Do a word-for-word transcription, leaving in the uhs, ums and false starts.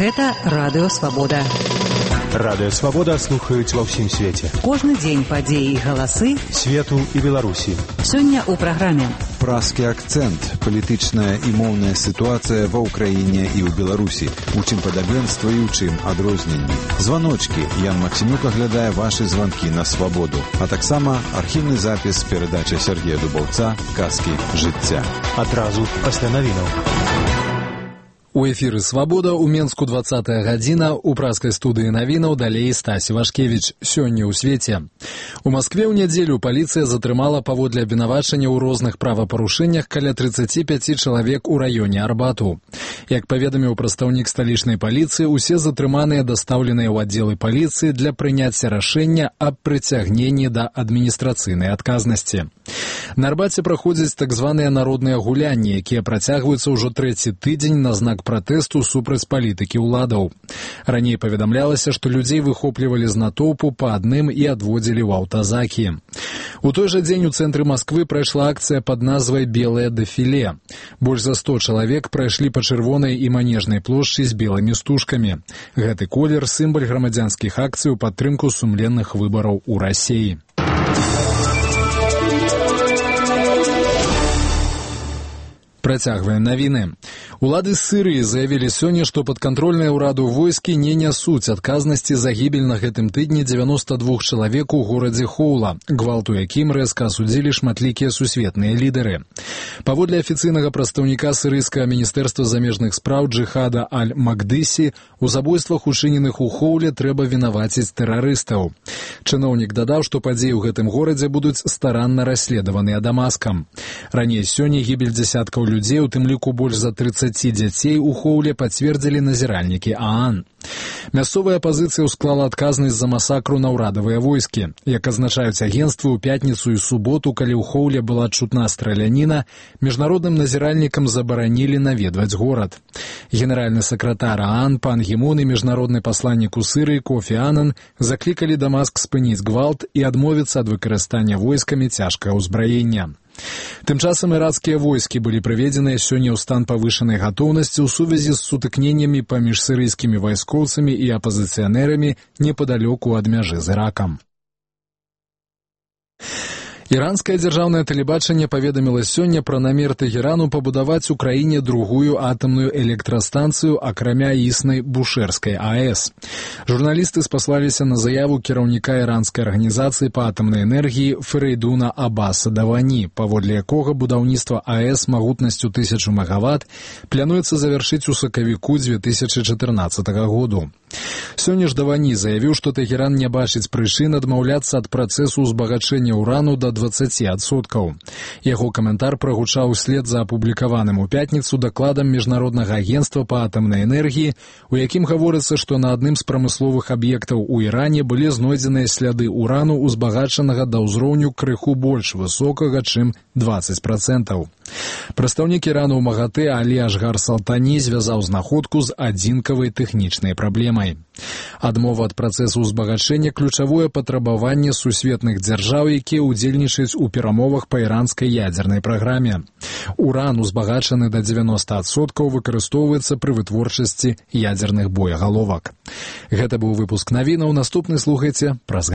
Гэта Радыё Свабода. Радыё Свабода слухаюць ва ўсім свеце. Кожны дзень падзеі і галасы свету і Беларусі. Сёння ў праграме «Празкі акцэнт. Палітычная і моўная сітуацыя ва ўкраіне і ў Беларусі. У чым падабенства і ў чым адрозненні. Званочкі. Ян Максімюк аглядае вашы званкі на Свабоду. А таксама архіўны запіс перадачы Сергея Дубаўца «Казкі жыцця». Адразу пасля навінаў. У эфіры «Свабода» у Менску двадцатая гадзіна, у празкай студыі навінаў далей Стась Вашкевіч. Сёння ў свеце. У Маскве ў нядзелю паліцыя затрымала паводле абвінавачання ў розных правапарушэннях каля трыццаці пяці чалавек у раёне Арбату. Як паведаміў прадстаўнік сталічнай паліцыі, усе затрыманыя дастаўленыя ў аддзелы паліцыі для прыняцця рашэння аб прыцягненні да адміністрацыйнай адказнасці. На Арбаце праходзяць так званыя народныя гулянні, якія працягваюцца ўжо трэці тыдзень на знак пратэсту супраць палітыкі ўладаў. Раней паведамлялася, што людзей выхоплівалі з натоўпу па адным і адводзілі ў аўтазакі. У той жа дзень у цэнтры Масквы прайшла акцыя пад назвай «Белае дэфіле». Больш за сто чалавек прайшлі па чырвонай і манежнай плошчы з белымі стужкамі. Гэты колер – сімвал грамадзянскіх акцый у падтрымку сумленных выбараў у Расіі. Працягваем навіны. Улады Сырыі заявілі сёння, што падкантрольныя ўраду войскі не нясуць адказнасці за гібель на гэтым тыдні дзевяноста двух чалавек у горадзе Хоула, гвалту якім рэзка асудзілі шматлікія сусветныя лідары. Паводле афіцыйнага прадстаўніка сырыйскага міністэрства замежных спраў Джихада Аль-Макдыси, у забойствах, учыненых у Хоуле, трэба вінаваціць тэрарыстаў. Чыноўнік дадаў, што падзеі ў гэтым горадзе будуць старанна расследаваныя Дамаскам. Раней сёння гібель дзясяткаў людзей, у тым ліку больш за трыццаці дзяцей, у Хоуле пацвердзілі назіральнікі ААН. Мясцовая апазіцыя ўсклала адказнасць за масакру на ўрадавыя войскі. Як азначаюць агенцтвы, у пятніцу і суботу, калі ў Хоуле была чутна страляніна, міжнародным назіральнікам забаранілі наведваць горад. Генеральны сакратар ААН пан Гі Мун і міжнародны пасланнік у Сырыі Кофі Анан заклікалі Дамаск спыніць гвалт і адмовіцца ад выкарыстання войскамі цяжкага ўзбраення. Тым часам ірацкія войскі былі прыведзеныя сёння ў стан павышанай гатоўнасці ў сувязі з сутыкненнямі паміж сырыйскімі вайскоўцамі і апазіцыянэрамі непадалёку ад мяжы з Іракам. Іранскае дзяржаўнае тэлебачанне паведаміла сёння пра намер Тэхерану пабудаваць у краіне другую атамную электрастанцыю, акрамя існай Бушэрскай АЭС. Журналісты спаслаліся на заяву кіраўніка іранскай арганізацыі па атамнай энергіі Ферейдуна Аббаса Давані, паводле якога будаўніцтва АЭС магутнасцю тысячу мегаватт плануецца завяршыць у сакавіку дзве тысячы чатырнаццатага году. Сёння ж Давані заявіў, што Тэхеран не бачыць прычын адмаўляцца ад працэсу ўзбагачэння ўрану да дваццаці адсоткаў. Яго каментар прагучаў услед за апублікаваным у пятніцу дакладам міжнароднага агенцтва па атамнай энергіі, у якім гаворыцца, што на адным з прамысловых аб'ектаў у Іране былі знойдзеныя сляды ўрану, узбагачанага да ўзроўню крыху больш высокага, чым дваццаць працэнтаў. Прадстаўнік Ірану ў МАГАТЭ Алі Ашгар Салтані звязаў знаходку з адзінкавай тэхнічнай праблемай. Адмова ад працэсу ўзбагачэння – ключавое патрабаванне сусветных дзяржаў, якія ўдзельнічаюць у перамовах па іранскай ядзернай праграме. Уран, узбагачаны да дзевяноста адсоткаў, выкарыстоўваецца пры вытворчасці ядзерных боегаловак. Гэта быў выпуск навінаў. Наступны слухайце праз